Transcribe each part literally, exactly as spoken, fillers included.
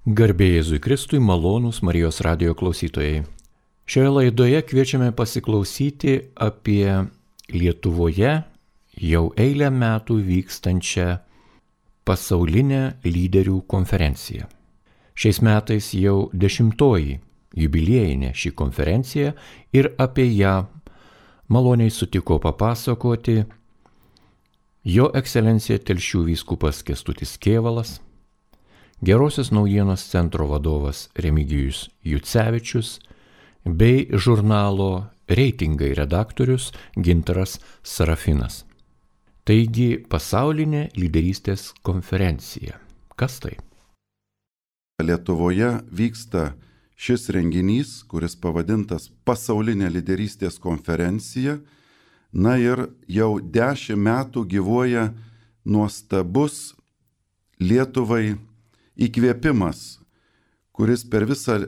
Garbė Jėzui Kristui, malonūs Marijos radijo klausytojai. Šioje laidoje kviečiame pasiklausyti apie Lietuvoje jau eilę metų vykstančią pasaulinę lyderių konferenciją. Šiais metais jau dešimtoji jubiliejinė ši konferencija ir apie ją maloniai sutiko papasakoti Jo ekscelencija Telšių vyskupas Kęstutis Kėvalas, Gerosios naujienos centro vadovas Remigijus Jucevičius bei žurnalo Reitingai redaktorius Gintaras Sarafinas. Taigi pasaulinė lyderystės konferencija. Kas tai? Lietuvoje vyksta šis renginys, kuris pavadintas Pasaulinė lyderystės konferencija. Na ir jau dešimt metų gyvuoja nuostabus Lietuvai įkvėpimas, kuris per visą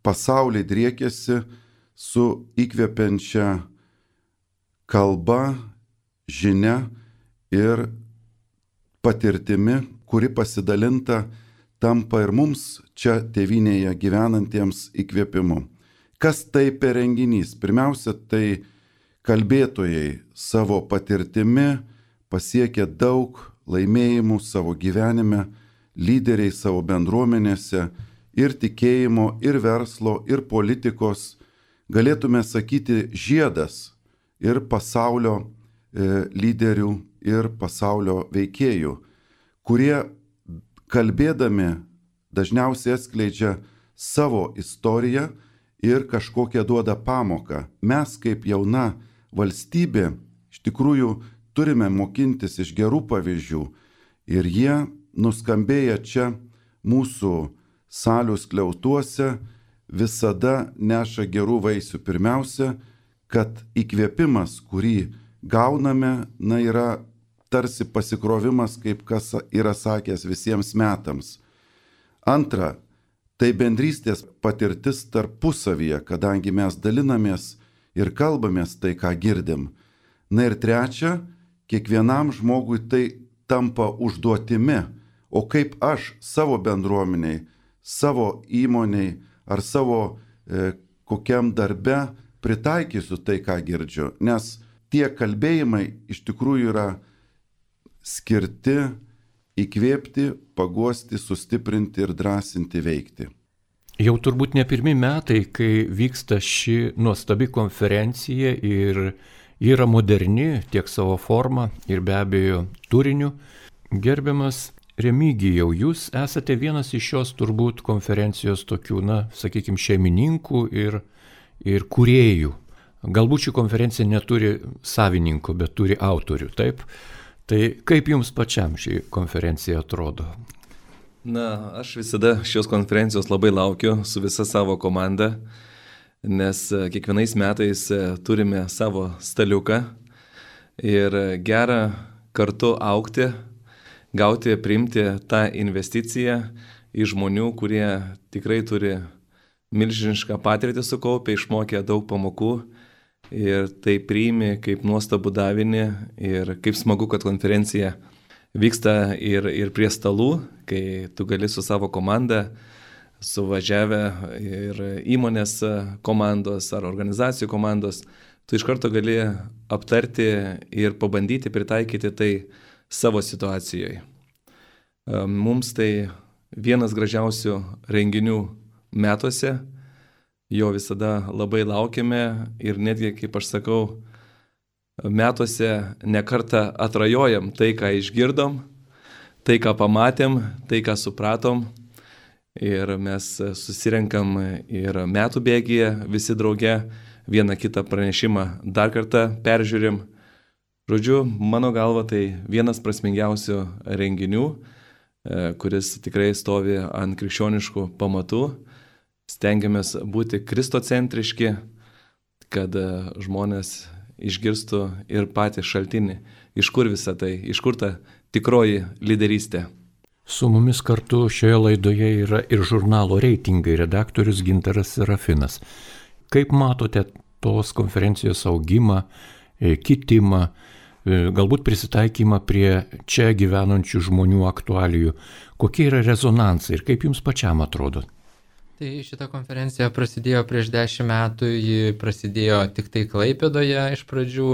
pasaulį driekėsi su įkvepiančia kalba, žinia ir patirtimi, kuri pasidalinta tampa ir mums čia tėvynėje gyvenantiems įkvėpimu. Kas tai per renginys? Pirmiausia, tai kalbėtojai savo patirtimi pasiekė daug laimėjimų savo gyvenime, lyderiai savo bendruomenėse ir tikėjimo, ir verslo, ir politikos, galėtume sakyti, žiedas ir pasaulio e, lyderių, ir pasaulio veikėjų, kurie kalbėdami dažniausiai atskleidžia savo istoriją ir kažkokią duoda pamoką. Mes kaip jauna valstybė iš tikrųjų turime mokintis iš gerų pavyzdžių ir jie nuskambėję čia mūsų salių skliautuose visada neša gerų vaisių. Pirmiausia, kad įkvėpimas, kurį gauname, na, yra tarsi pasikrovimas, kaip kas yra sakęs visiems metams. Antra, tai bendrystės patirtis tarpusavyje, kadangi mes dalinamės ir kalbamės tai, ką girdim. Na ir trečia, kiekvienam žmogui tai tampa užduotimi. O kaip aš savo bendruomeniai, savo įmoniai ar savo e, kokiam darbe pritaikysiu tai, ką girdžiu. Nes tie kalbėjimai iš tikrųjų yra skirti įkvėpti, paguosti, sustiprinti ir drąsinti veikti. Jau turbūt ne pirmi metai, kai vyksta ši nuostabi konferencija ir yra moderni tiek savo forma ir be abejo turiniu. Gerbiamas Remigijau, jūs esate vienas iš šios turbūt konferencijos tokių, na, sakykime, šeimininkų ir, ir kūrėjų. Galbūt ši konferencija neturi savininkų, bet turi autorių, taip? Tai kaip jums pačiam ši konferencija atrodo? Na, aš visada šios konferencijos labai laukiu su visa savo komanda, nes kiekvienais metais turime savo staliuką ir gera kartu augti, gauti, priimti tą investiciją iš žmonių, kurie tikrai turi milžinišką patirtį sukaupę, išmokę daug pamokų ir tai priimi kaip nuostabų davinį ir kaip smagu, kad konferencija vyksta ir, ir prie stalų, kai tu gali su savo komanda, suvažiavę ir įmonės komandos ar organizacijų komandos, tu iš karto gali aptarti ir pabandyti pritaikyti tai savo situacijoje. Mums tai vienas gražiausių renginių metuose, jo visada labai laukiame ir netgi, kaip aš sakau, metuose nekartą atrajojam tai, ką išgirdom, tai, ką pamatėm, tai, ką supratom ir mes susirenkam ir metų bėgyje visi drauge, vieną kitą pranešimą dar kartą peržiūrim. Žodžiu, mano galva tai vienas prasmingiausių renginių, kuris tikrai stovi ant krikščioniškų pamatų. Stengiamės būti kristocentriški, kad žmonės išgirstų ir patį šaltinį, iš kur visa tai, iš kur ta tikroji lyderystė. Su mumis kartu šioje laidoje yra ir žurnalo Reitingai redaktorius Gintaras Sarafinas. Kaip matote tos konferencijos augimą, kitimą, galbūt prisitaikymą prie čia gyvenančių žmonių aktualijų. Kokie yra rezonansai ir kaip jums pačiam atrodo? Tai šita konferencija prasidėjo prieš dešimt metų, ji prasidėjo tik tai Klaipėdoje iš pradžių,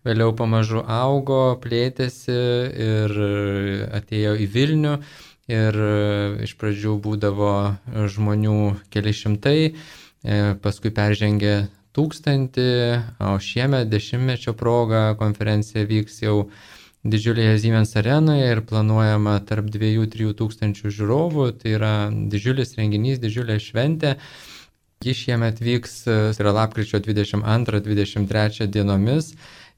vėliau pamažu augo, plėtėsi ir atėjo į Vilnių ir iš pradžių būdavo žmonių keli šimtai, paskui peržengė tūkstantį, o šiemet dešimtmečio proga konferencija vyks jau didžiulėje Siemens arenoje ir planuojama tarp dviejų trijų tūkstančių žiūrovų, tai yra didžiulis renginys, didžiulė šventė. Ji šiemet vyks, tai yra lapkričio dvidešimt antrą dvidešimt trečią dienomis.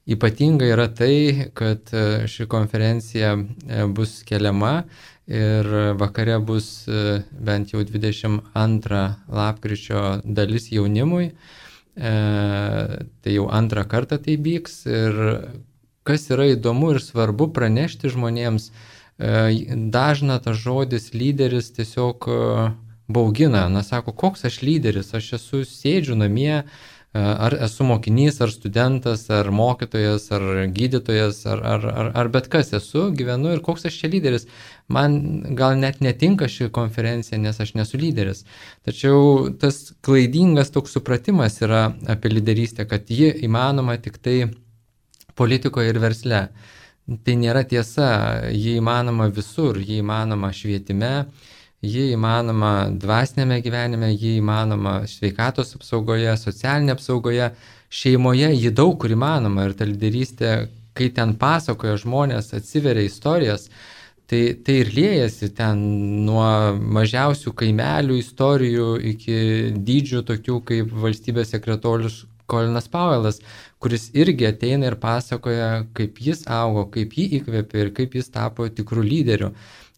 Ypatinga yra tai, kad ši konferencija bus keliama ir vakare bus bent jau dvidešimt antrą lapkričio dalis jaunimui. E, tai jau antrą kartą tai vyks ir kas yra įdomu ir svarbu pranešti žmonėms, dažna tas žodis lyderis tiesiog baugina. Na, sako, koks aš lyderis, aš esu sėdžiu namie, ar esu mokinys, ar studentas, ar mokytojas, ar gydytojas, ar, ar, ar, ar bet kas esu, gyvenu ir koks aš čia lyderis. Man gal net netinka ši konferencija, nes aš nesu lyderis. Tačiau tas klaidingas toks supratimas yra apie lyderystę, kad ji įmanoma tik tai politikoje ir versle. Tai nėra tiesa, ji įmanoma visur, ji įmanoma švietime, ji įmanoma dvasinėme gyvenime, ji įmanoma sveikatos apsaugoje, socialinė apsaugoje, šeimoje ji daug kur įmanoma ir ta lyderystė, kai ten pasakoja žmonės, atsiveria istorijas, tai, tai ir liejasi ten nuo mažiausių kaimelių istorijų iki dydžių tokių kaip valstybės sekretorius Kolinas Pauelas, kuris irgi ateina ir pasakoja, kaip jis augo, kaip jį įkvėpė ir kaip jis tapo tikrų lyderių.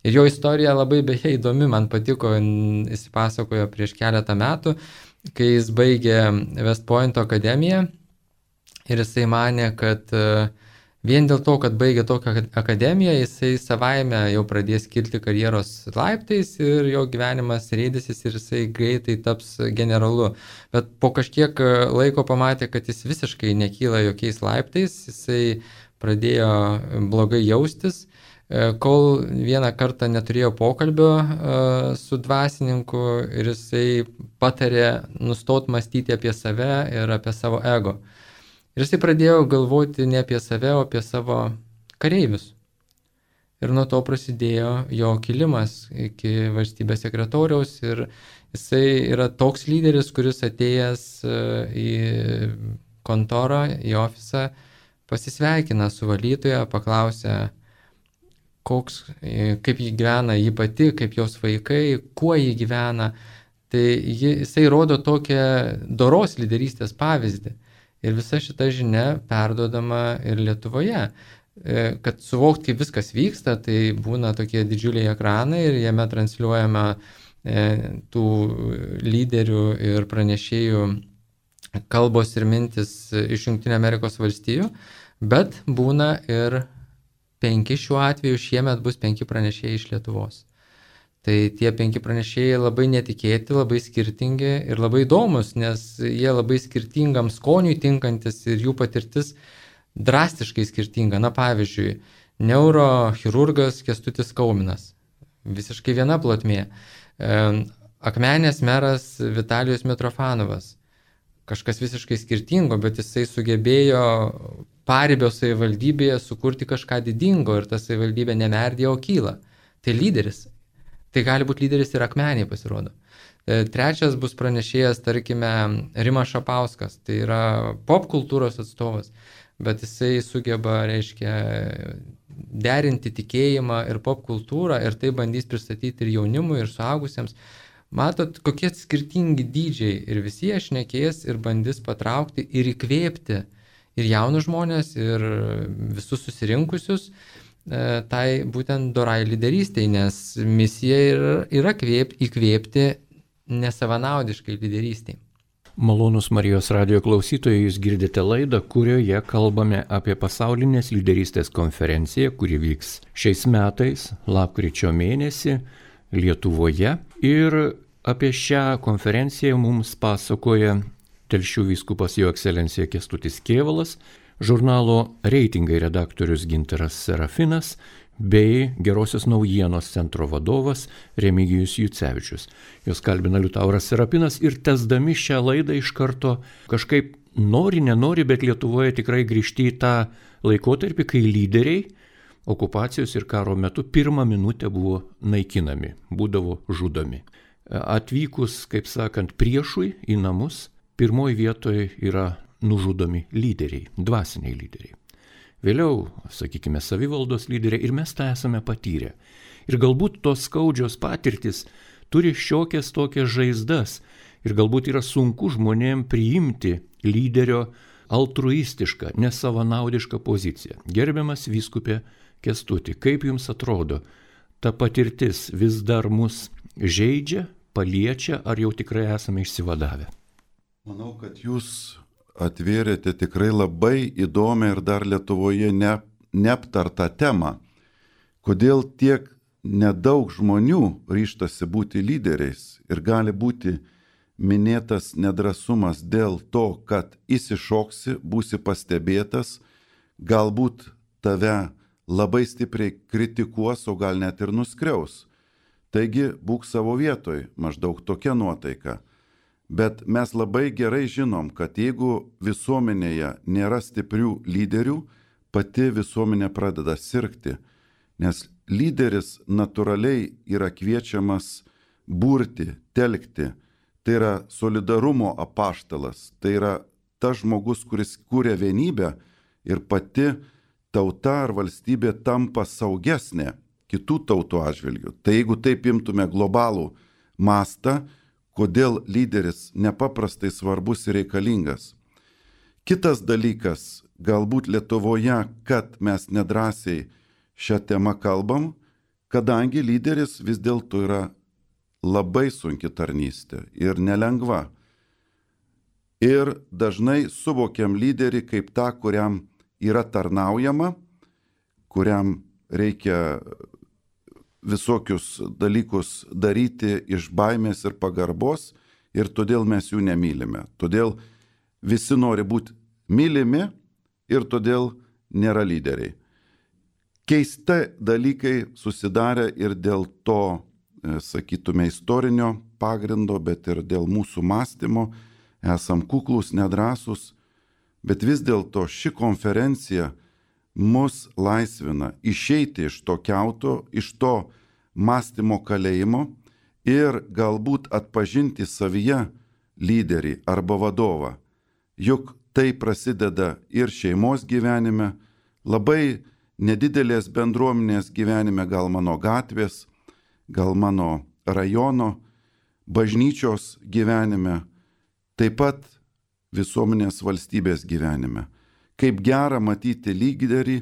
Ir jo istorija labai beje įdomi, man patiko, jis pasakojo prieš keletą metų, kai jis baigė West Pointo akademiją ir jisai manė, kad vien dėl to, kad baigė tokią akademiją, jisai savaime jau pradės kilti karjeros laiptais ir jo gyvenimas rėdysis ir jisai greitai taps generalu. Bet po kažkiek laiko pamatė, kad jis visiškai nekyla jokiais laiptais, jisai pradėjo blogai jaustis, kol vieną kartą neturėjo pokalbio su dvasininku ir jisai patarė nustot mąstyti apie save ir apie savo ego. Ir jisai pradėjo galvoti ne apie save, o apie savo kareivius. Ir nuo to prasidėjo jo kilimas iki valstybės sekretoriaus ir jisai yra toks lyderis, kuris atėjęs į kontorą, į ofisą, pasisveikina su valytoja, paklausia, koks, kaip jį gyvena jį pati, kaip jos vaikai, kuo jį gyvena. Tai jisai rodo tokią doros lyderystės pavyzdį. Ir visa šita žinia perduodama ir Lietuvoje. Kad suvokt, kaip viskas vyksta, tai būna tokie didžiuliai ekranai ir jame transliuojama tų lyderių ir pranešėjų kalbos ir mintis iš Jungtinių Amerikos valstijų, bet būna ir penki šiuo atveju, šiemet bus penki pranešėjai iš Lietuvos. Tai tie penki pranešėjai labai netikėti, labai skirtingi ir labai įdomus, nes jie labai skirtingam skoniui tinkantis ir jų patirtis drastiškai skirtinga. Na pavyzdžiui, neurochirurgas Kęstutis Kauminas, visiškai viena plotmė. Akmenės meras Vitalijus Mitrofanovas, kažkas visiškai skirtingo, bet jisai sugebėjo Paribio savivaldybėje sukurti kažką didingo ir ta savivaldybė nemerdėjo, o kyla. Tai lyderis. Tai gali būti lyderis ir Akmenėje pasirodo. Trečias bus pranešėjas, tarkime, Rimas Šapauskas, tai yra pop kultūros atstovas, bet jisai sugeba, reiškia, derinti tikėjimą ir pop kultūrą ir tai bandys pristatyti ir jaunimui, ir suaugusiems. Matot, kokie skirtingi dydžiai ir visi jie šnekės ir bandys patraukti ir įkvėpti ir jaunus žmonės, ir visus susirinkusius tai būtent dorai lyderystei, nes misija yra, yra kvėp, įkvėpti nesavanaudiškai lyderystei. Malonus Marijos radijo klausytojai, jūs girdite laidą, kurioje kalbame apie pasaulinės lyderystės konferenciją, kuri vyks šiais metais, lapkričio mėnesį Lietuvoje. Ir apie šią konferenciją mums pasakoja Telšių vyskupas Jo ekscelencija Kęstutis Kėvalas. žurnalo Reitingai redaktorius Gintaras Serafinas bei Gerosios naujienos centro vadovas Remigijus Jucevičius. Jos kalbina Liutauras Serapinas ir tęsdami šią laidą iš karto kažkaip nori, nenori, bet Lietuvoje tikrai grįžti į tą laikotarpį, kai lyderiai okupacijos ir karo metu pirmą minutę buvo naikinami, būdavo žudomi. Atvykus, kaip sakant, priešui į namus, pirmoji vietoje yra nužudomi lyderiai, dvasiniai lyderiai. Vėliau, sakykime, savivaldos lyderiai ir mes tą esame patyrę. Ir galbūt tos skaudžios patirtis turi šiokias tokias žaizdas ir galbūt yra sunku žmonėm priimti lyderio altruistišką, nesavanaudišką poziciją. Gerbiamas vyskupė Kęstuti, kaip jums atrodo, ta patirtis vis dar mus žeidžia, paliečia, ar jau tikrai esame išsivadavę? Manau, kad jūs atvėrėte tikrai labai įdomią ir dar Lietuvoje ne, neaptartą temą. Kodėl tiek nedaug žmonių ryžtasi būti lyderiais ir gali būti minėtas nedrasumas dėl to, kad įsišoksi, būsi pastebėtas, galbūt tave labai stipriai kritikuos, o gal net ir nuskriaus. Taigi būk savo vietoj, maždaug tokia nuotaika. Bet mes labai gerai žinom, kad jeigu visuomenėje nėra stiprių lyderių, pati visuomenė pradeda sirgti, nes lyderis natūraliai yra kviečiamas burti, telkti. Tai yra solidarumo apaštalas, tai yra tas žmogus, kuris kūrė vienybę ir pati tauta ar valstybė tampa saugesnė kitų tautų atžvilgių. Tai jeigu taip imtume globalų mastą, kodėl lyderis nepaprastai svarbus ir reikalingas. Kitas dalykas, galbūt Lietuvoje, kad mes nedrąsiai šią temą kalbam, kadangi lyderis vis dėlto yra labai sunki tarnystė ir nelengva. Ir dažnai suvokiam lyderį kaip tą, kuriam yra tarnaujama, kuriam reikia visokius dalykus daryti iš baimės ir pagarbos ir todėl mes jų nemylime. Todėl visi nori būti mylimi ir todėl nėra lyderiai. Keisti dalykai susidarė ir dėl to, sakytume, istorinio pagrindo, bet ir dėl mūsų mąstymo. Esam kuklus, nedrąsus, bet vis dėlto ši konferencija mus laisvina išeiti iš to kiauto, iš to mąstymo kalėjimo ir galbūt atpažinti savyje lyderį arba vadovą. Juk tai prasideda ir šeimos gyvenime, labai nedidelės bendruomenės gyvenime, gal mano gatvės, gal mano rajono, bažnyčios gyvenime, taip pat visuomenės valstybės gyvenime. Kaip gera matyti lyderį,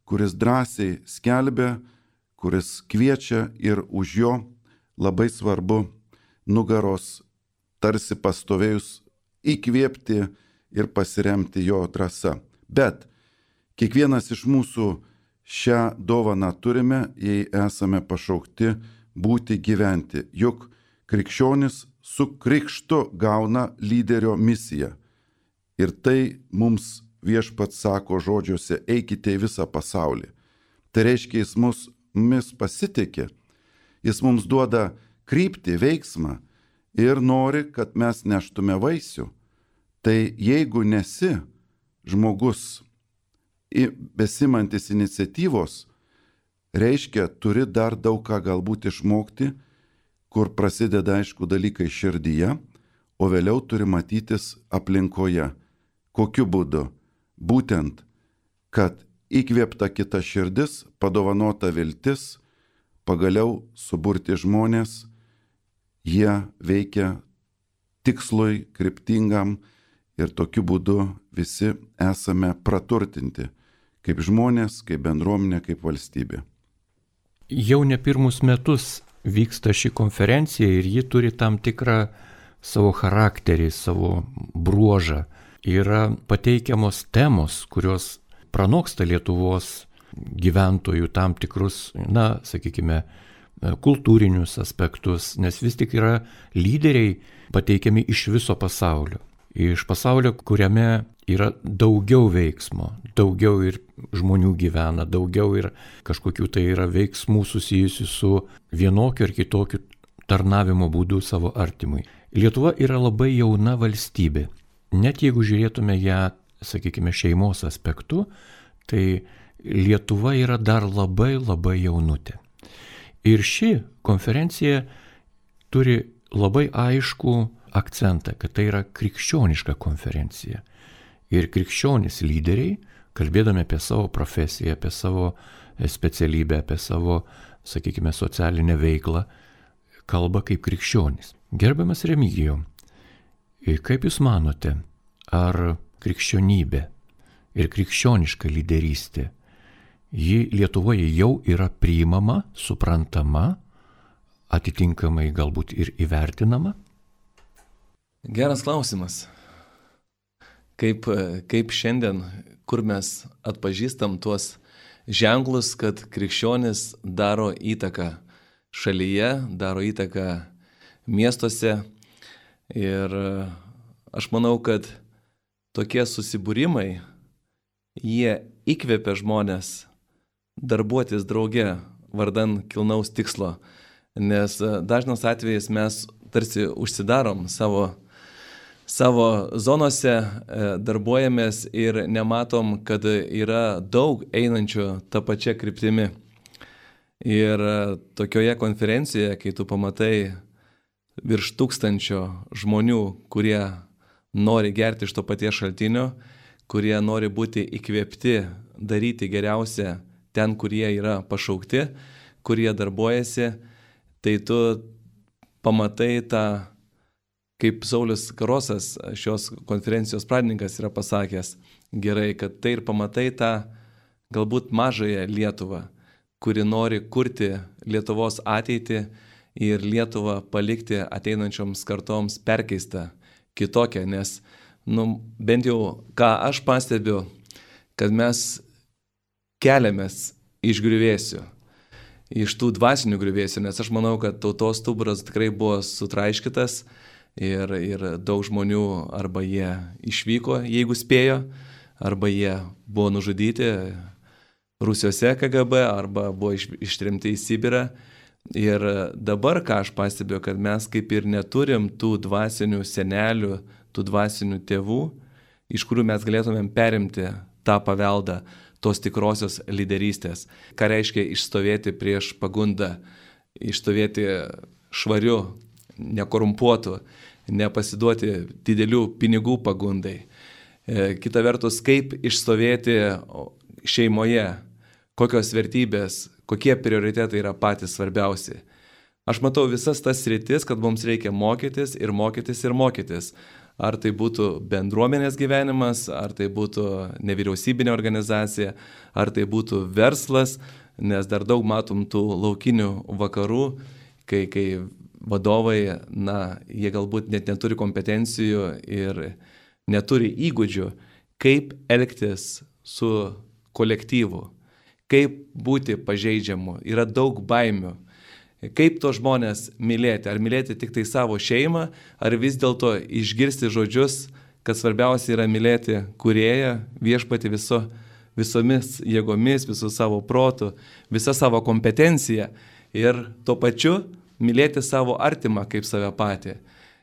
kuris drąsiai skelbia, kuris kviečia ir už jo labai svarbu nugaros tarsi pastovėjus įkvėpti ir pasiremti jo drąsa. Bet kiekvienas iš mūsų šią dovaną turime, jei esame pašaukti būti gyventi. Juk krikščionis su krikštu gauna lyderio misiją. Ir tai mums viešpats sako žodžiuose, eikite į visą pasaulį. Tai reiškia, jis mus, mus pasitikė, jis mums duoda kryptį, veiksmą ir nori, kad mes neštume vaisių. Tai jeigu nesi žmogus besimantis iniciatyvos, reiškia, turi dar daug ką galbūt išmokti, kur prasideda, aišku, dalykai širdyje, o vėliau turi matytis aplinkoje. Kokiu būdu? Būtent, kad įkvėpta kita širdis, padovanota viltis, pagaliau suburti žmonės, jie veikia tikslui, kryptingam ir tokiu būdu visi esame praturtinti, kaip žmonės, kaip bendruomenė, kaip valstybė. Jau ne pirmus metus vyksta ši konferencija ir ji turi tam tikrą savo charakterį, savo bruožą. Yra pateikiamos temos, kurios pranoksta Lietuvos gyventojų tam tikrus, na, sakykime, kultūrinius aspektus, nes vis tik yra lyderiai pateikiami iš viso pasaulio. iš pasaulio, kuriame yra daugiau veiksmo, daugiau ir žmonių gyvena, daugiau ir kažkokių tai yra veiksmų susijusių su vienokiu ar kitokiu tarnavimo būdu savo artimui. Lietuva yra labai jauna valstybė. Net jeigu žiūrėtume ją, sakykime, šeimos aspektu, tai Lietuva yra dar labai labai jaunutė. Ir ši konferencija turi labai aiškų akcentą, kad tai yra krikščioniška konferencija. Ir krikščionys lyderiai, kalbėdami apie savo profesiją, apie savo specialybę, apie savo, sakykime, socialinę veiklą, kalba kaip krikščionys. Gerbiamas Remigijau, kaip Jūs manote, ar krikščionybė ir krikščioniška lyderystė, ji Lietuvoje jau yra priimama, suprantama, atitinkamai galbūt ir įvertinama? Geras klausimas. Kaip, kaip šiandien, kur mes atpažįstam tuos ženklus, kad krikščionis daro įtaką šalyje, daro įtaką miestuose. Ir aš manau, kad tokie susibūrimai, jie įkvepia žmonės darbuotis drauge vardan kilnaus tikslo. Nes dažnas atvejais mes tarsi užsidarom savo, savo zonose, darbuojamės ir nematom, kad yra daug einančių tą pačią kryptimį. Ir tokioje konferencijoje, kai tu pamatai virš tūkstančio žmonių, kurie nori gerti iš to paties šaltinio, kurie nori būti įkvėpti daryti geriausia ten, kurie yra pašaukti, kurie darbuojasi, tai tu pamatai tą, kaip Saulius Karosas, šios konferencijos pradininkas, yra pasakęs gerai, kad tai ir pamatai tą galbūt mažąją Lietuvą, kuri nori kurti Lietuvos ateitį ir Lietuvą palikti ateinančioms kartoms perkeistą, kitokią, nes nu, bent jau ką aš pastebiu, kad mes keliamės iš griuvėsių, iš tų dvasinių griuvėsių, nes aš manau, kad tautos stuburas tikrai buvo sutraiškytas ir, ir daug žmonių arba jie išvyko, jeigu spėjo, arba jie buvo nužudyti Rusijos K G B, arba buvo iš, ištrimti į Sibirą. Ir dabar, ką aš pastebiu, kad mes kaip ir neturim tų dvasinių senelių, tų dvasinių tėvų, iš kurių mes galėtumėm perimti tą paveldą tos tikrosios lyderystės. Ką reiškia išstovėti prieš pagundą, išstovėti švariu, nekorumpuotu, nepasiduoti didelių pinigų pagundai. Kita vertus, kaip išstovėti šeimoje, kokios vertybės, kokie prioritetai yra patys svarbiausi. Aš matau visas tas sritis, kad mums reikia mokytis ir mokytis ir mokytis. Ar tai būtų bendruomenės gyvenimas, ar tai būtų nevyriausybinė organizacija, ar tai būtų verslas, nes dar daug matom tų laukinių vakarų, kai, kai vadovai, na, jie galbūt net neturi kompetencijų ir neturi įgūdžių, kaip elgtis su kolektyvu, kaip būti pažeidžiamu, yra daug baimių. Kaip to žmonės mylėti? Ar mylėti tik tai savo šeimą, ar vis dėlto išgirsti žodžius, kad svarbiausia yra mylėti kūrėją, viešpatį viso, visomis jėgomis, visų savo protų, visą savo kompetenciją ir tuo pačiu mylėti savo artimą kaip save patį.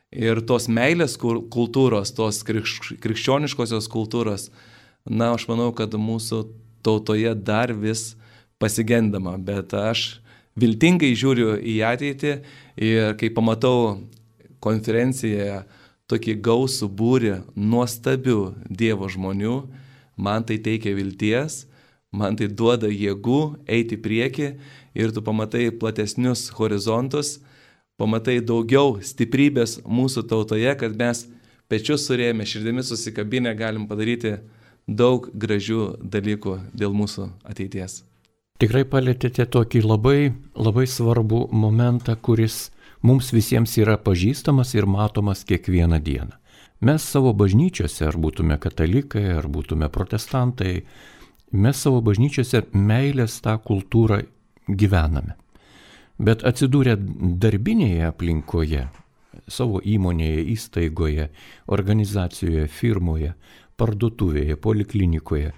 Ir tos meilės kultūros, tos krikščioniškosios kultūros, na, aš manau, kad mūsų tautoje dar vis pasigendama, bet aš viltingai žiūriu į ateitį ir kai pamatau konferencijoje tokį gausų būrį nuostabių Dievo žmonių, man tai teikia vilties, man tai duoda jėgų eiti į priekį ir tu pamatai platesnius horizontus, pamatai daugiau stiprybės mūsų tautoje, kad mes pečius surėmę, širdimi susikabinę galim padaryti daug gražių dalykų dėl mūsų ateities. Tikrai palėtėte tokį labai, labai svarbų momentą, kuris mums visiems yra pažįstamas ir matomas kiekvieną dieną. Mes savo bažnyčiose, ar būtume katalikai, ar būtume protestantai, mes savo bažnyčiose meilės tą kultūrą gyvename. Bet atsidūrę darbinėje aplinkoje, savo įmonėje, įstaigoje, organizacijoje, firmoje, parduotuvėje, poliklinikoje,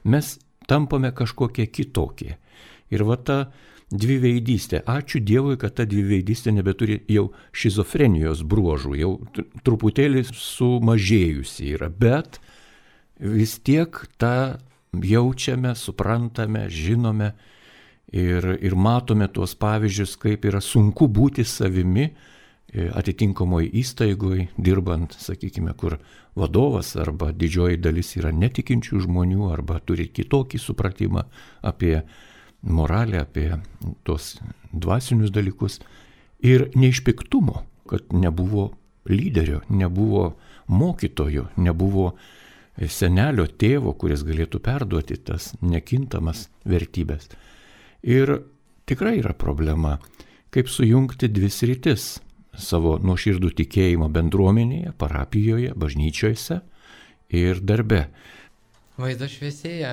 mes tampame kažkokie kitokie. Ir va ta dviveidystė, ačiū Dievui, kad ta dviveidystė nebeturi jau šizofrenijos bruožų, jau truputėlį sumažėjusi yra, bet vis tiek tą jaučiame, suprantame, žinome ir, ir matome tuos pavyzdžius, kaip yra sunku būti savimi atitinkamoje įstaigoje, dirbant, sakykime, kur vadovas arba didžioji dalis yra netikinčių žmonių arba turi kitokį supratimą apie moralę, apie tos dvasinius dalykus. Ir ne iš piktumo, kad nebuvo lyderio, nebuvo mokytojo, nebuvo senelio, tėvo, kuris galėtų perduoti tas nekintamas vertybės. Ir tikrai yra problema, kaip sujungti dvi sritis savo nuoširdų tikėjimo bendruomenėje, parapijoje, bažnyčiose ir darbe. Vaizdas šviesėja,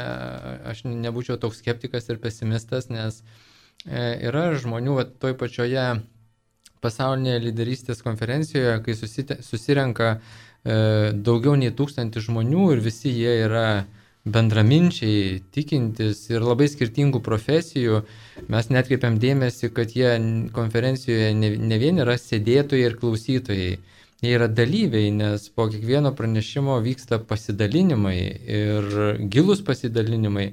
aš nebūčiau toks skeptikas ir pesimistas, nes yra žmonių va, toj pačioje pasaulinėje lyderystės konferencijoje, kai susite, susirenka e, daugiau nei tūkstantį žmonių ir visi jie yra bendraminčiai, tikintis ir labai skirtingų profesijų, mes netkreipiam dėmesį, kad jie konferencijoje ne, ne vien yra sėdėtojai ir klausytojai, jie yra dalyviai, nes po kiekvieno pranešimo vyksta pasidalinimai ir gilūs pasidalinimai.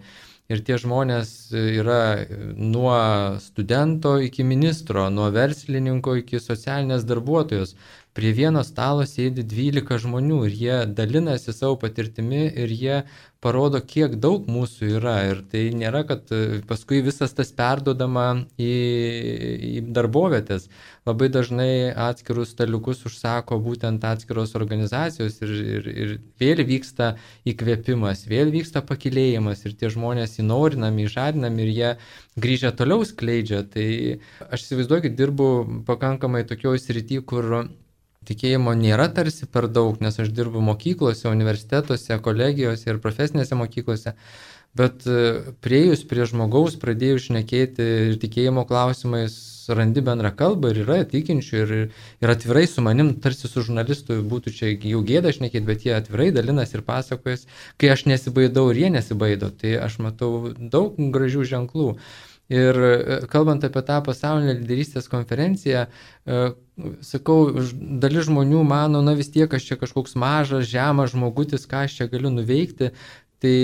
Ir tie žmonės yra nuo studento iki ministro, nuo verslininko iki socialinės darbuotojos. Prie vieno stalo sėdi dvylika žmonių ir jie dalinasi savo patirtimi ir jie parodo, kiek daug mūsų yra. Ir tai nėra, kad paskui visas tas perdodama į, į darbovietės. Labai dažnai atskirus staliukus užsako būtent atskiros organizacijos ir, ir, ir vėl vyksta įkvėpimas, vėl vyksta pakilėjimas ir tie žmonės įnorinami, įžadinami ir jie grįžę toliau skleidžia. Tai aš įsivaizduoju, kad dirbu pakankamai tokioj srity, kur tikėjimo nėra tarsi per daug, nes aš dirbu mokyklose, universitetuose, kolegijose ir profesinėse mokyklose, bet prieėjus prie žmogaus, pradėjus šnekėti ir tikėjimo klausimais, randi bendrą kalbą ir yra tikinčių ir, ir atvirai su manim, tarsi su žurnalistu būtų čia jau gėda šnekėti, bet jie atvirai dalinas ir pasakojas, kai aš nesibaidau ir jie nesibaido, tai aš matau daug gražių ženklų. Ir kalbant apie tą pasaulinę lyderystės konferenciją, sakau, dalis žmonių mano, na vis tiek aš čia kažkoks mažas, žemas žmogutis, ką aš čia galiu nuveikti. Tai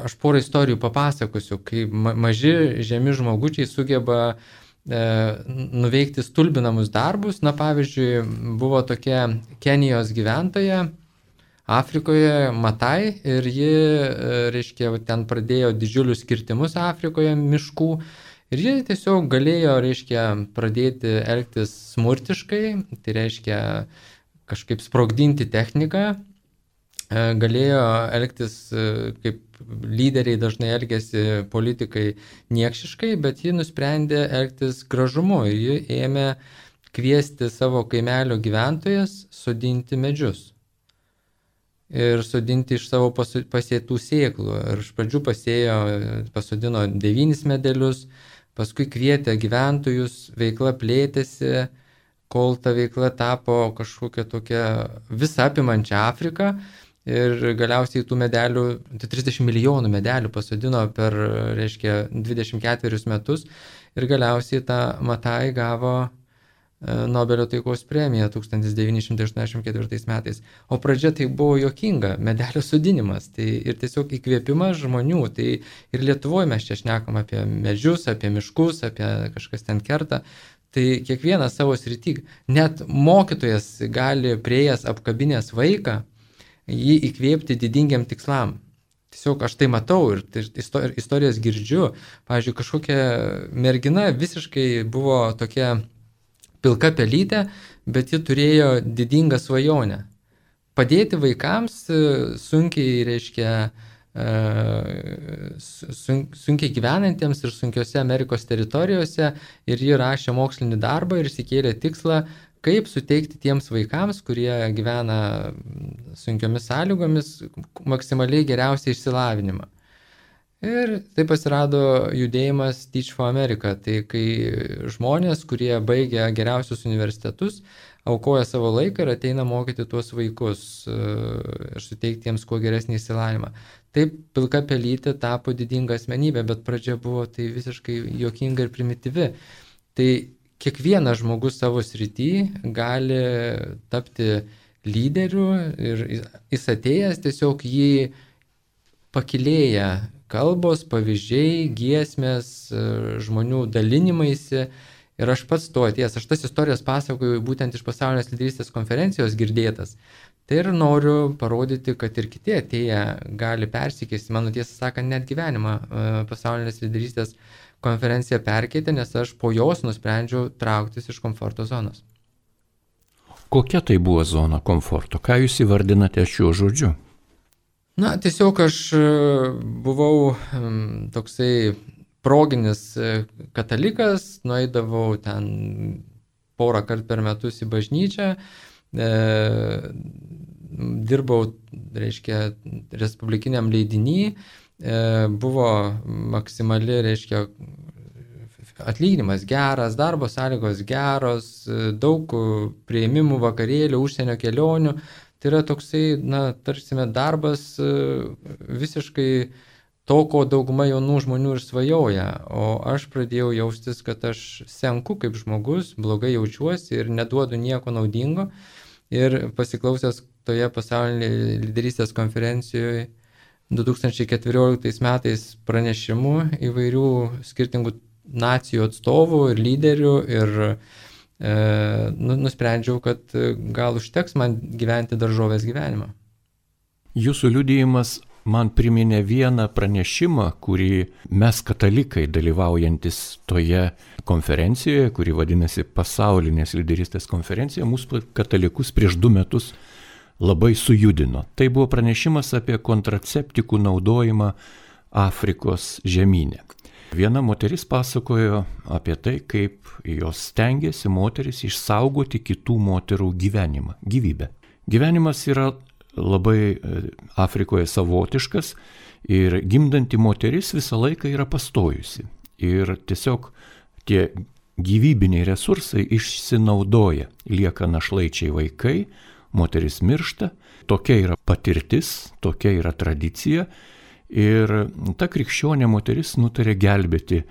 aš porą istorijų papasakosiu, kai maži, žemi žmogučiai sugeba e, nuveikti stulbinamus darbus. Na pavyzdžiui, buvo tokia Kenijos gyventoja Afrikoje, Matai, ir ji, reiškia, ten pradėjo didžiulius kirtimus Afrikoje miškų ir ji tiesiog galėjo, reiškia, pradėti elgtis smurtiškai, tai reiškia kažkaip sprogdinti techniką, galėjo elgtis kaip lyderiai dažnai elgėsi politikai niekšiškai, bet ji nusprendė elgtis gražumu ir ji ėmė kviesti savo kaimelio gyventojas sodinti medžius. Ir sodinti iš savo pasėtų sėklų. Ir iš pradžių pasėjo, pasodino devynis medelius, paskui kvietė gyventojus, veikla plėtėsi, kol ta veikla tapo kažkokia tokia visą apimančią Afriką. Ir galiausiai tų medelių, tai trisdešimt milijonų medelių pasodino per, reiškia, dvidešimt ketverius metus. Ir galiausiai ta Matai gavo Nobelio taikos premiją tūkstantis devyni šimtai aštuoniasdešimt ketvirtais metais. O pradžia tai buvo juokinga, medelio sodinimas. Tai ir tiesiog įkvėpimas žmonių. Tai ir Lietuvoje mes čia šnekam apie medžius, apie miškus, apie kažkas ten kerta. Tai kiekvienas savo srity, net mokytojas gali prieėjęs apkabinęs vaiką, jį įkvėpti didingiam tikslam. Tiesiog aš tai matau ir istorijas girdžiu. Pavyzdžiui, kažkokia mergina visiškai buvo tokia pilka pelytė, bet ji turėjo didingą svajonę. Padėti vaikams sunkiai, reiškia, sunkiai gyvenantiems ir sunkiose Amerikos teritorijose ir ji rašė mokslinį darbą ir išsikėlė tikslą, kaip suteikti tiems vaikams, kurie gyvena sunkiomis sąlygomis, maksimaliai geriausią išsilavinimą. Ir taip atsirado judėjimas Teach for America. Tai kai žmonės, kurie baigia geriausius universitetus, aukoja savo laiką ir ateina mokyti tuos vaikus ir suteikti jiems kuo geresnį išsilavinimą. Taip Pilka pelytė tapo didinga asmenybė, bet pradžia buvo tai visiškai juokinga ir primityvi. Tai kiekvienas žmogus savo srity gali tapti lyderiu ir jis atėjęs tiesiog jį pakilėja kalbos, pavyzdžiai, giesmės, žmonių dalinimaisi. Ir aš pats to atėjęs, aš tas istorijas pasakoju būtent iš pasaulinės lyderystės konferencijos girdėtas. Tai ir noriu parodyti, kad ir kiti atėję gali persikeisti. Mano tiesą sakant, net gyvenimą pasaulinės lyderystės konferencija perkeitė, nes aš po jos nusprendžiau trauktis iš komforto zonos. Kokia tai buvo zona komforto? Ką jūs įvardinate šiuo žodžiu? Na, tiesiog aš buvau toksai proginis katalikas, nueidavau ten porą kartų per metus į bažnyčią, e, dirbau, reiškia, respublikiniam leidiny, e, buvo maksimali, reiškia, atlyginimas geras, darbo sąlygos geros, daug priėmimų, vakarėlių, užsienio kelionių. Tai yra toksai, na, tarsime, darbas visiškai to, ko dauguma jaunų žmonių ir svajoja, o aš pradėjau jaustis, kad aš senku kaip žmogus, blogai jaučiuosi ir neduodu nieko naudingo. Ir pasiklausęs toje pasaulinėje lyderystės konferencijoje du tūkstančiai keturioliktais metais pranešimų įvairių skirtingų nacijų atstovų ir lyderių ir e, nu, nusprendžiau, kad gal užteks man gyventi daržovės gyvenimą. Jūsų liudijimas man priminė vieną pranešimą, kurį mes katalikai dalyvaujantis toje konferencijoje, kuri vadinasi Pasaulinės lyderystės konferencija, mūsų katalikus prieš du metus labai sujudino. Tai buvo pranešimas apie kontraceptikų naudojimą Afrikos žemyne. Viena moteris pasakojo apie tai, kaip jos stengiasi moteris išsaugoti kitų moterų gyvenimą, gyvybę. Gyvenimas yra labai Afrikoje savotiškas ir gimdanti moteris visą laiką yra pastojusi. Ir tiesiog tie gyvybiniai resursai išsinaudoja, lieka našlaičiai vaikai, moteris miršta, tokia yra patirtis, tokia yra tradicija. Ir ta krikščionė moteris nutarė gelbėti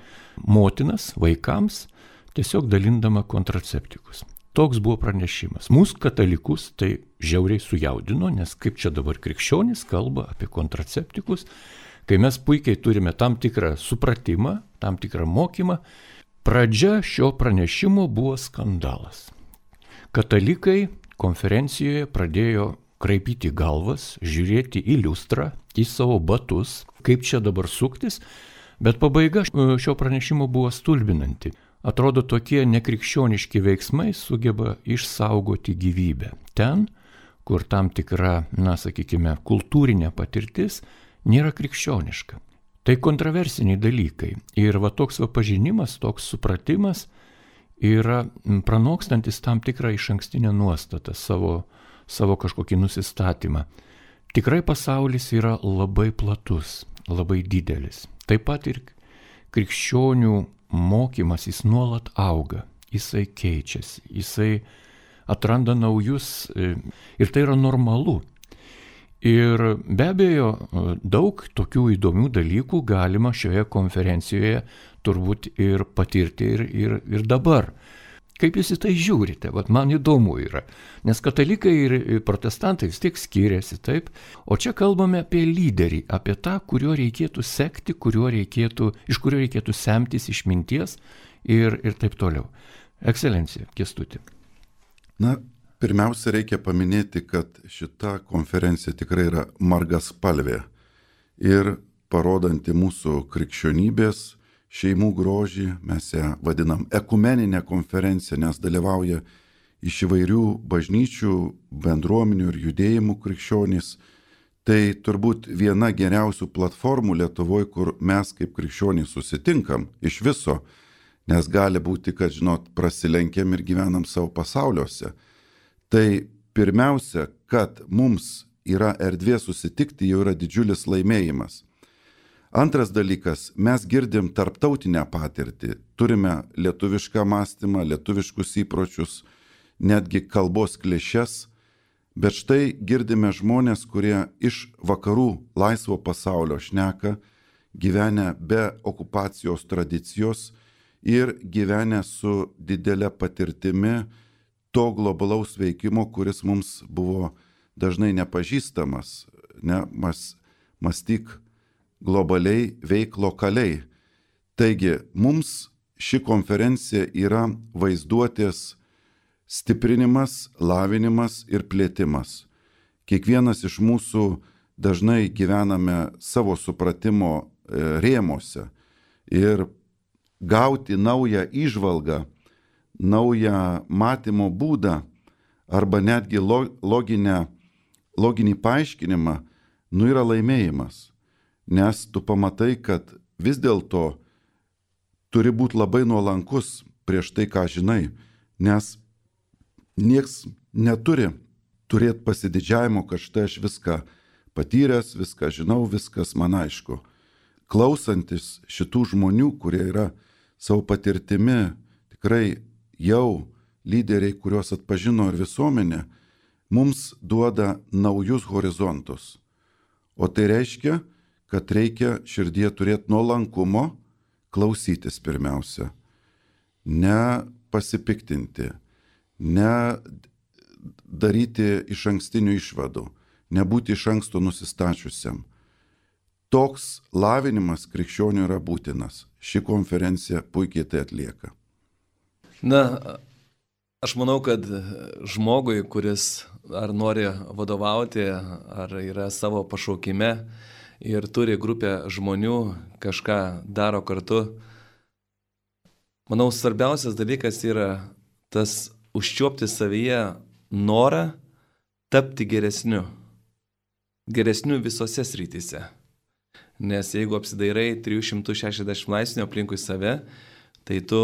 motinas vaikams, tiesiog dalindama kontraceptikus. Toks buvo pranešimas. Mūsų katalikus tai žiauriai sujaudino, nes kaip čia dabar krikščionys kalba apie kontraceptikus, kai mes puikiai turime tam tikrą supratimą, tam tikrą mokymą. Pradžia šio pranešimo buvo skandalas. Katalikai konferencijoje pradėjo kraipyti galvas, žiūrėti į liustrą, į savo batus, kaip čia dabar suktis, bet pabaiga šio pranešimo buvo stulbinanti. Atrodo, tokie nekrikščioniški veiksmai sugeba išsaugoti gyvybę. Ten, kur tam tikra, na, sakykime, kultūrinė patirtis nėra krikščioniška. Tai kontroversiniai dalykai. Ir va toks va pažinimas, toks supratimas yra pranokstantis tam tikrą išankstinę nuostatą, savo, savo kažkokį nusistatymą. Tikrai pasaulis yra labai platus, labai didelis. Taip pat ir krikščionių mokymas, jis nuolat auga, jisai keičiasi, jisai atranda naujus ir tai yra normalu. Ir be abejo, daug tokių įdomių dalykų galima šioje konferencijoje turbūt ir patirti ir, ir, ir dabar. Kaip jūs į tai žiūrite? Vat man įdomu yra, nes katalikai ir protestantai vis tiek skiriasi, taip? O čia kalbame apie lyderį, apie tą, kuriuo reikėtų sekti, kuriuo reikėtų, iš kurio reikėtų semtis išminties ir, ir taip toliau. Ekscelencija, Kęstuti. Na, pirmiausia, reikia paminėti, kad šita konferencija tikrai yra margaspalvė ir parodanti mūsų krikščionybės šeimų grožį. Mes ją vadinam ekumeninę konferenciją, nes dalyvauja iš įvairių bažnyčių, bendruomenių ir judėjimų krikščionys. Tai turbūt viena geriausių platformų Lietuvoje, kur mes kaip krikščionys susitinkam iš viso, nes gali būti, kad, žinot, prasilenkiam ir gyvenam savo pasauliuose. Tai pirmiausia, kad mums yra erdvė susitikti, jau yra didžiulis laimėjimas. Antras dalykas, mes girdim tarptautinę patirtį, turime lietuvišką mąstymą, lietuviškus įpročius, netgi kalbos klišes, bet štai girdime žmonės, kurie iš vakarų laisvo pasaulio šneka, gyvenę be okupacijos tradicijos ir gyvenę su didelė patirtimi to globalaus veikimo, kuris mums buvo dažnai nepažįstamas, ne, mas, mąstyk globaliai, veik lokaliai. Taigi, mums ši konferencija yra vaizduotės stiprinimas, lavinimas ir plėtimas. Kiekvienas iš mūsų dažnai gyvename savo supratimo rėmose ir gauti naują įžvalgą, naują matymo būdą arba netgi loginę, loginį paaiškinimą, nu yra laimėjimas. Nes tu pamatai, kad vis dėlto turi būti labai nuolankus prieš tai, ką žinai, nes nieks neturi turėti pasididžiavimo, kad štai aš viską patyręs, viską žinau, viskas man aišku. Klausantis šitų žmonių, kurie yra savo patirtimi tikrai jau lyderiai, kuriuos atpažino ir visuomenė, mums duoda naujus horizontus. O tai reiškia, kad reikia širdie turėti nuolankumo, klausytis pirmiausia, ne pasipiktinti, ne daryti iš ankstinių išvadų, nebūti iš anksto nusistačiusiam. Toks lavinimas krikščionių yra būtinas. Ši konferencija puikiai tai atlieka. Na, aš manau, kad žmogui, kuris ar nori vadovauti, ar yra savo pašaukime ir turi grupę žmonių, kažką daro kartu, manau, svarbiausias dalykas yra tas užčiuopti savyje norą tapti geresniu. Geresniu visose srityse. Nes jeigu apsidairai trijų šimtų šešiasdešimt laipsnių aplinkui save, tai tu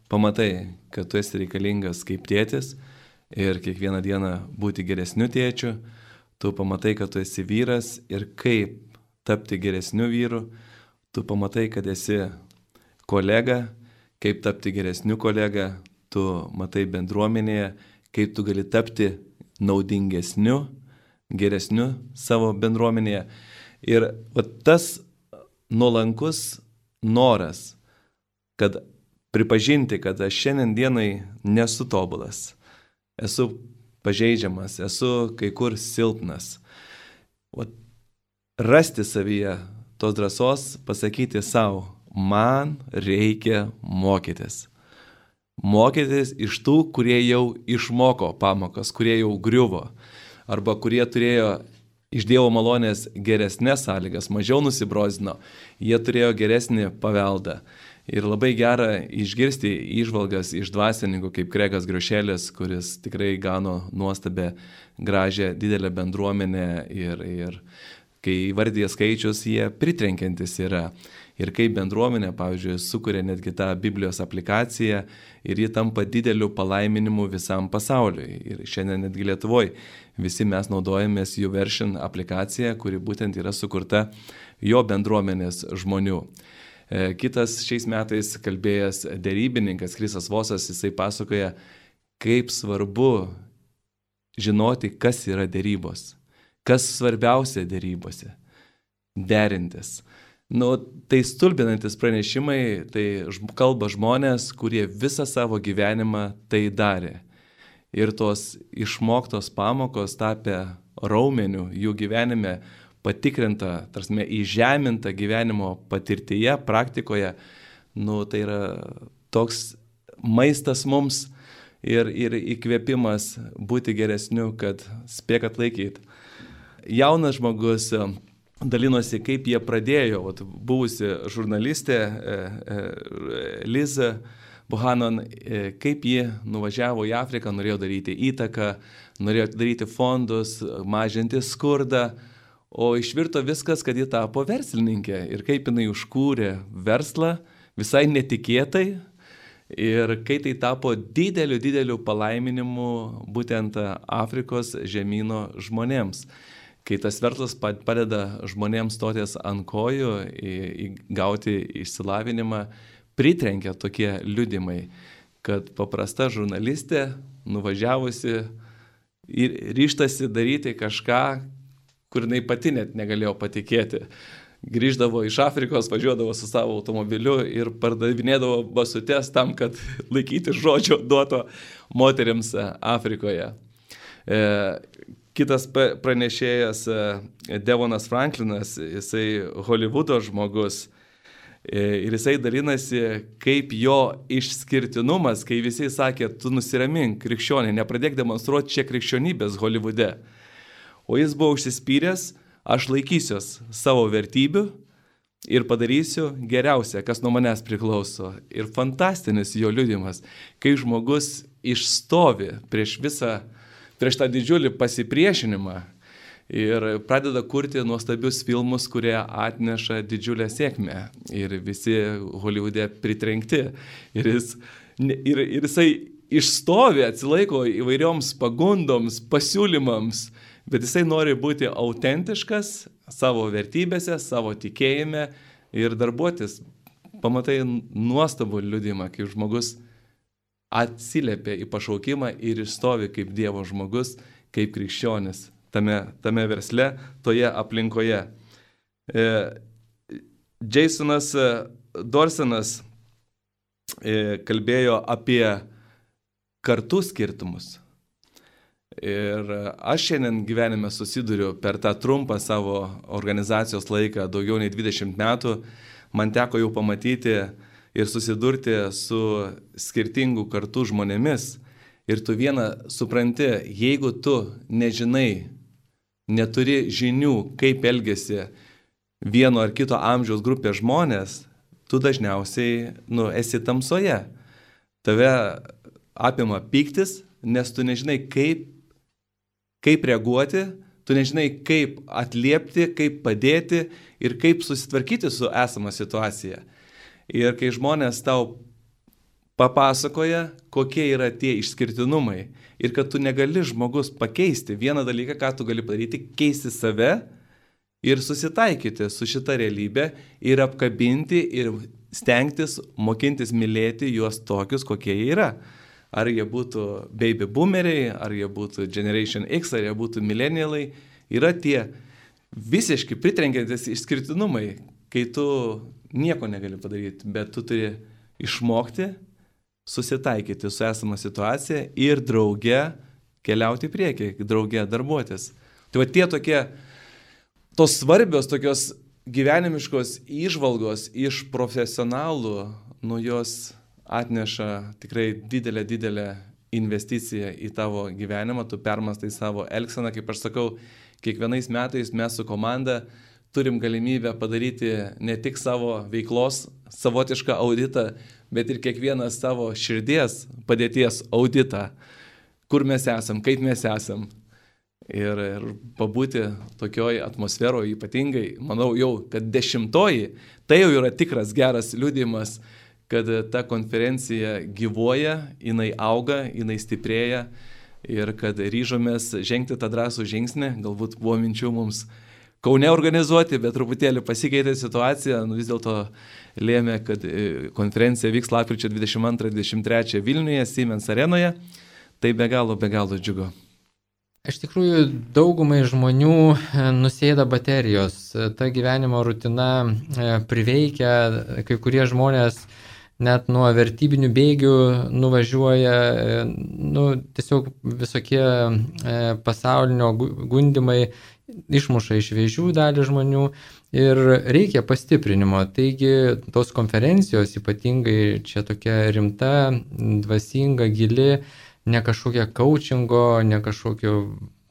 pamatai, kad tu esi reikalingas kaip tėtis ir kiekvieną dieną būti geresniu tėčiu, tu pamatai, kad tu esi vyras ir kaip tapti geresniu vyru, tu pamatai, kad esi kolega, kaip tapti geresniu kolega, tu matai bendruomenėje, kaip tu gali tapti naudingesniu, geresniu savo bendruomenėje. Ir va, tas nuolankus noras, kad pripažinti, kad aš šiandien dienai nesu tobulas, esu pažeidžiamas, esu kai kur silpnas. Va, rasti savyje tos drąsos, pasakyti savo, man reikia mokytis. Mokytis iš tų, kurie jau išmoko pamokas, kurie jau griuvo, arba kurie turėjo iš Dievo malonės geresnės sąlygas, mažiau nusibrozino, jie turėjo geresnį paveldą. Ir labai gera išgirsti įžvalgas iš dvasininkų kaip Kregas Griošelis, kuris tikrai gano nuostabę, gražią, didelę bendruomenę ir, ir kai įvardyja skaičius, jie pritrenkiantis yra. Ir kaip bendruomenė, pavyzdžiui, sukuria netgi tą Biblijos aplikaciją ir ji tampa dideliu palaiminimu visam pasauliui. Ir šiandien netgi Lietuvoje visi mes naudojamės YouVersion aplikaciją, kuri būtent yra sukurta jo bendruomenės žmonių. Kitas šiais metais kalbėjęs derybininkas Krisas Vosas, jisai pasakoja, kaip svarbu žinoti, kas yra derybos, kas svarbiausia derybose – derintis. Nu, tai stulbinantis pranešimai, tai kalba žmonės, kurie visą savo gyvenimą tai darė. Ir tos išmoktos pamokos tapę raumeniu jų gyvenime, patikrinta, tarsi įžeminta gyvenimo patirtyje, praktikoje, nu, tai yra toks maistas mums ir, ir įkvėpimas būti geresniu, kad spėk atlaikyti. Jaunas žmogus dalinosi, kaip jie pradėjo, vat, buvusi žurnalistė e, e, Liza Buchanan, e, kaip ji nuvažiavo į Afriką, norėjo daryti įtaką, norėjo daryti fondus, mažinti skurdą, o išvirto viskas, kad ji tapo verslininkė ir kaip jinai užkūrė verslą visai netikėtai ir kai tai tapo dideliu, dideliu palaiminimu būtent Afrikos žemyno žmonėms. kai tas verslas padeda žmonėms stotis ant kojų, gauti išsilavinimą, pritrenkia tokie liudimai, kad paprasta žurnalistė, nuvažiavusi ir ryštasi daryti kažką, kur jinai pati net negalėjo patikėti. Grįždavo iš Afrikos, važiuodavo su savo automobiliu ir pardavinėdavo basutes tam, kad laikyti žodžio duoto moteriams Afrikoje. E, kitas pranešėjas Devonas Franklinas, jisai Hollywoodo žmogus, ir jisai dalinasi, kaip jo išskirtinumas, kai visi sakė, tu nusiramink, krikščionė, nepradėk demonstruoti čia krikščionybės Hollywoode. O jis buvo užsispyręs, aš laikysiuos savo vertybių ir padarysiu geriausia, kas nuo manęs priklauso. Ir fantastinis jo liudimas, kai žmogus išstovi prieš visą, prieš tą didžiulį pasipriešinimą ir pradeda kurti nuostabius filmus, kurie atneša didžiulę sėkmę. Ir visi Hollywoode pritrenkti. Ir, jis, ir, ir jisai išstovi, atsilaiko įvairioms pagundoms, pasiūlymams, bet jisai nori būti autentiškas savo vertybėse, savo tikėjime ir darbuotis. Pamatai nuostabų liudimą, kai žmogus atsiliepia į pašaukimą ir išstovi kaip Dievo žmogus, kaip krikščionis. Tame, tame versle, toje aplinkoje. E, Jasonas Dorsenas e, kalbėjo apie kartų skirtumus. Ir aš šiandien gyvenime susiduriu per tą trumpą savo organizacijos laiką, daugiau nei dvidešimt metų, man teko jau pamatyti ir susidurti su skirtingų kartų žmonėmis. Ir tu vieną supranti, jeigu tu nežinai, neturi žinių, kaip elgesi vieno ar kito amžiaus grupės žmonės, tu dažniausiai nu, esi tamsoje. Tave apima pyktis, nes tu nežinai, kaip, kaip reaguoti, tu nežinai, kaip atliepti, kaip padėti ir kaip susitvarkyti su esama situacija. Ir kai žmonės tau papasakoja, kokie yra tie išskirtinumai ir kad tu negali žmogus pakeisti. Vieną dalyką, ką tu gali padaryti, keisti save ir susitaikyti su šita realybė ir apkabinti ir stengtis, mokintis mylėti juos tokius, kokie jie yra. Ar jie būtų baby boomeriai, ar jie būtų Generation X, ar jie būtų millennialai, yra tie visiškai pritrenkiantis išskirtinumai, kai tu nieko negali padaryti, bet tu turi išmokti susitaikyti su esama situacija ir drauge keliauti į priekį, drauge darbuotis. Tai va tie tokie, tos svarbios tokios gyvenimiškos įžvalgos iš profesionalų, nu jos atneša tikrai didelę, didelę investiciją į tavo gyvenimą, tu permastai savo elgseną, kaip aš sakau, kiekvienais metais mes su komanda turim galimybę padaryti ne tik savo veiklos savotišką auditą, bet ir kiekvieną savo širdies padėties auditą, kur mes esam, kaip mes esam. Ir, ir pabūti tokioj atmosferoje ypatingai, manau jau, kad dešimtoji, tai jau yra tikras geras liudijimas, kad ta konferencija gyvuoja, jinai auga, jinai stiprėja ir kad ryžomės žengti tą drąsų žingsnį, galbūt buvo minčių mums Kaune organizuoti, bet truputėlį pasikeitė situacija, nu vis dėlto lėmė, kad konferencija vyks lapkričio dvidešimt antrą dvidešimt trečią Vilniuje, Siemens arenoje, tai be galo, be galo džiugu. Iš tikrųjų, daugumai žmonių nusėda baterijos, ta gyvenimo rutina priveikia, kai kurie žmonės net nuo vertybinių bėgių nuvažiuoja, nu, tiesiog visokie pasaulinio gundimai išmuša iš vėžių dalį žmonių ir reikia pastiprinimo. Taigi tos konferencijos ypatingai čia tokia rimta, dvasinga, gili, ne kažkokia coachingo, ne kažkokio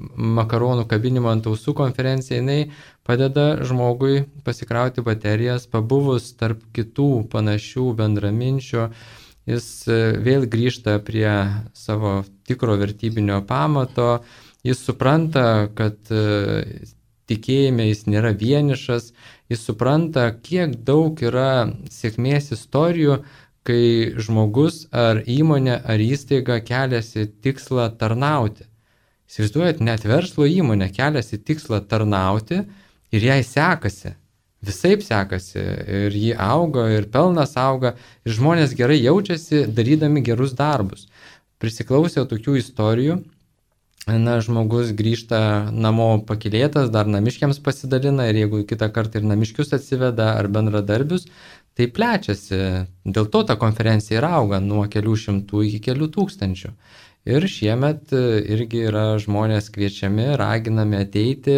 makaronų kabinimo ant ausų konferencija, jinai padeda žmogui pasikrauti baterijas, pabuvus tarp kitų panašių bendraminčių, jis vėl grįžta prie savo tikro vertybinio pamato, jis supranta, kad tikėjime jis nėra vienišas, jis supranta, kiek daug yra sėkmės istorijų, kai žmogus ar įmonė ar įstaiga keliasi tikslą tarnauti. Įsivaizduojat, net verslo įmonė keliasi tikslą tarnauti ir jai sekasi. Visaip sekasi ir ji auga, ir pelnas auga, ir žmonės gerai jaučiasi darydami gerus darbus. Prisiklausiau tokių istorijų, na, žmogus grįžta namo pakylėtas, dar namiškiams pasidalina ir jeigu kitą kartą ir namiškius atsiveda ar bendradarbius, tai plečiasi. Dėl to ta konferencija ir auga nuo kelių šimtų iki kelių tūkstančių. Ir šiemet irgi yra žmonės kviečiami, raginami ateiti,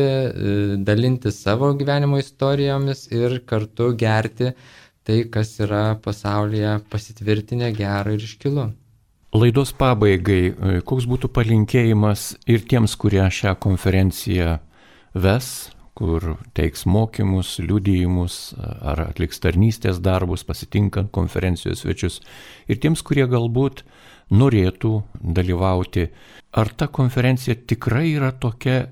dalinti savo gyvenimo istorijomis ir kartu gerti tai, kas yra pasaulyje pasitvirtinę gera ir iškilu. Laidos pabaigai, koks būtų palinkėjimas ir tiems, kurie šią konferenciją ves, kur teiks mokymus, liudijimus ar atliks tarnystės darbus, pasitinkant konferencijos svečius, ir tiems, kurie galbūt norėtų dalyvauti. Ar ta konferencija tikrai yra tokia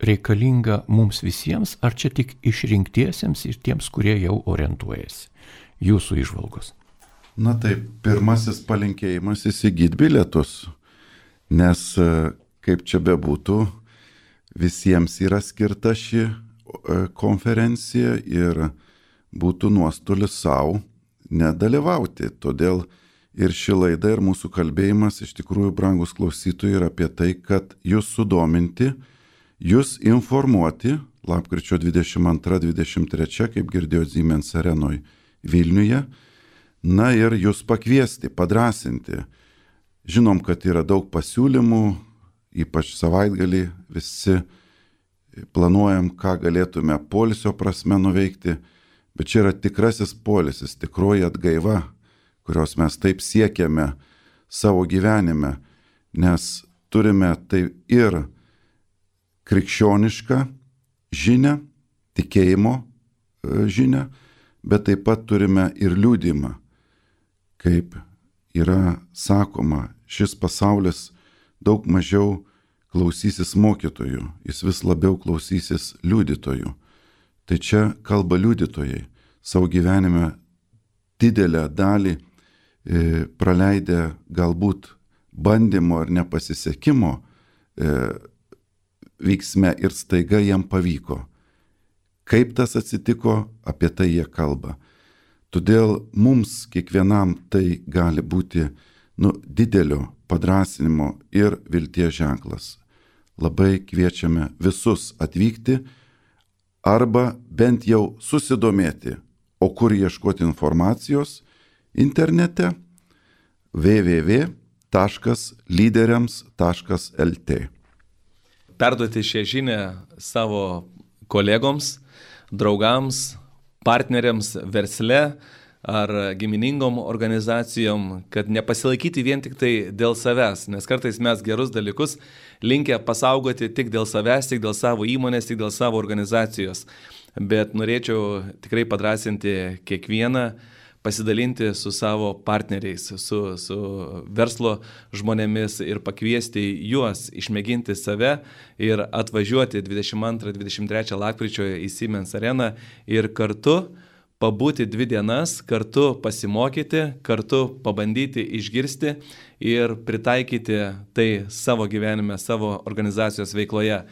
reikalinga mums visiems, ar čia tik išrinktiesiems ir tiems, kurie jau orientuojasi? Jūsų įžvalgos. Na taip, pirmasis palinkėjimas įsigyti bilietus, nes kaip čia bebūtų, visiems yra skirta ši konferencija ir būtų nuostolis savo nedalyvauti. Todėl ir ši laida, ir mūsų kalbėjimas iš tikrųjų, brangus klausytojai, yra apie tai, kad jūs sudominti, jūs informuoti, lapkričio dvidešimt antrą dvidešimt trečią, kaip girdėjot Siemens arenoj Vilniuje, na ir jūs pakviesti, padrasinti. Žinom, kad yra daug pasiūlymų, ypač savaitgalį visi planuojam, ką galėtume poilsio prasme nuveikti, bet čia yra tikrasis poilsis, tikroji atgaiva, kurios mes taip siekiame savo gyvenime, nes turime tai ir krikščionišką žinią, tikėjimo žinią, bet taip pat turime ir liudijimą. Kaip yra sakoma, šis pasaulis daug mažiau klausysis mokytojų, jis vis labiau klausysis liudytojų. Tai čia kalba liudytojai, savo gyvenime didelę dalį e, praleidę galbūt bandymo ar nepasisekimo e, vyksme ir staiga jam pavyko. Kaip tas atsitiko, apie tai jie kalba. Todėl mums kiekvienam tai gali būti nu, didelio padrasinimo ir vilties ženklas. Labai kviečiame visus atvykti arba bent jau susidomėti, o kur ieškoti informacijos internete w w w taškas lyderiams taškas l t. Perduoti šią žinią savo kolegoms, draugams, partneriams versle ar giminingom organizacijom, kad nepasilaikyti vien tik tai dėl savęs, nes kartais mes gerus dalykus linkę pasaugoti tik dėl savęs, tik dėl savo įmonės, tik dėl savo organizacijos. Bet norėčiau tikrai padrasinti kiekvieną, pasidalinti su savo partneriais, su, su verslo žmonėmis ir pakviesti juos išmėginti save ir atvažiuoti dvidešimt antrą dvidešimt trečią lapkričio į Siemens areną ir kartu pabūti dvi dienas, kartu pasimokyti, kartu pabandyti išgirsti ir pritaikyti tai savo gyvenime, savo organizacijos veikloje.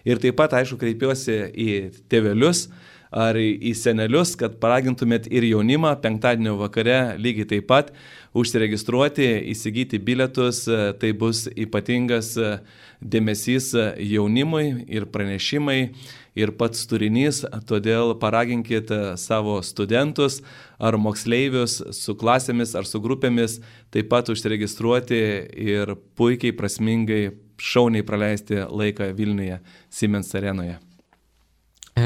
Ir taip pat, aišku, kreipiuosi į tėvelius ar į senelius, kad paragintumėt ir jaunimą penktadienio vakare lygiai taip pat užsiregistruoti, įsigyti bilietus. Tai bus ypatingas dėmesys jaunimui ir pranešimai ir pats turinys, todėl paraginkit savo studentus ar moksleivius su klasėmis ar su grupėmis taip pat užsiregistruoti ir puikiai, prasmingai, šauniai praleisti laiką Vilniuje, Siemens arenoje. E,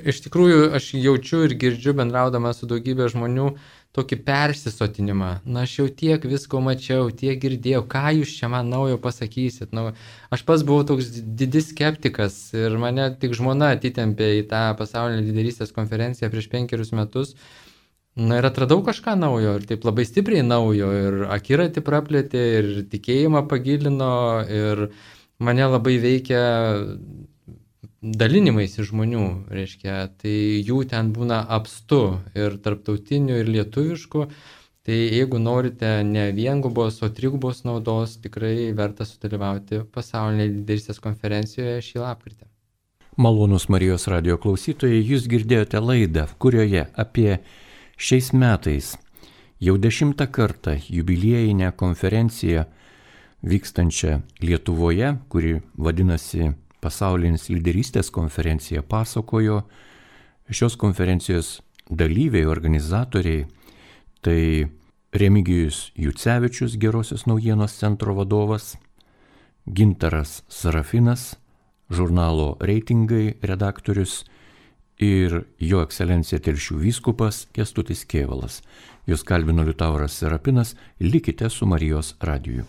iš tikrųjų, aš jaučiu ir girdžiu, bendraudama su daugybė žmonių, tokį persisotinimą. Na, aš jau tiek visko mačiau, tiek girdėjau, ką jūs čia man naujo pasakysit. Nu, aš pats buvau toks didis skeptikas ir mane tik žmona atitempė į tą pasaulinę lyderystės konferenciją prieš penkerius metus. Na ir atradau kažką naujo ir taip labai stipriai naujo ir akiratį praplėtė ir tikėjimą pagilino ir mane labai veikia dalinimaisi žmonių, reiškia, tai jų ten būna apstu ir tarptautinių, ir lietuviškų, Tai jeigu norite ne viengubos, o trigubos naudos, tikrai verta sudalyvauti pasaulinėje lyderystės konferencijoje šį lapkritį. Malonūs Marijos radijo klausytojai, jūs girdėjote laidą, kurioje apie šiais metais jau dešimtą kartą jubiliejinę konferenciją vykstančią Lietuvoje, kuri vadinasi Pasaulinis lyderystės konferencija, pasakojo šios konferencijos dalyviai, organizatoriai. Tai Remigijus Jucevičius, Gerosios naujienos centro vadovas, Gintaras Sarafinas, žurnalo Reitingai redaktorius ir jo ekscelencija Telšių vyskupas Kęstutis Kėvalas. Jūs kalbino Liutauras Serapinas, likite su Marijos radiju.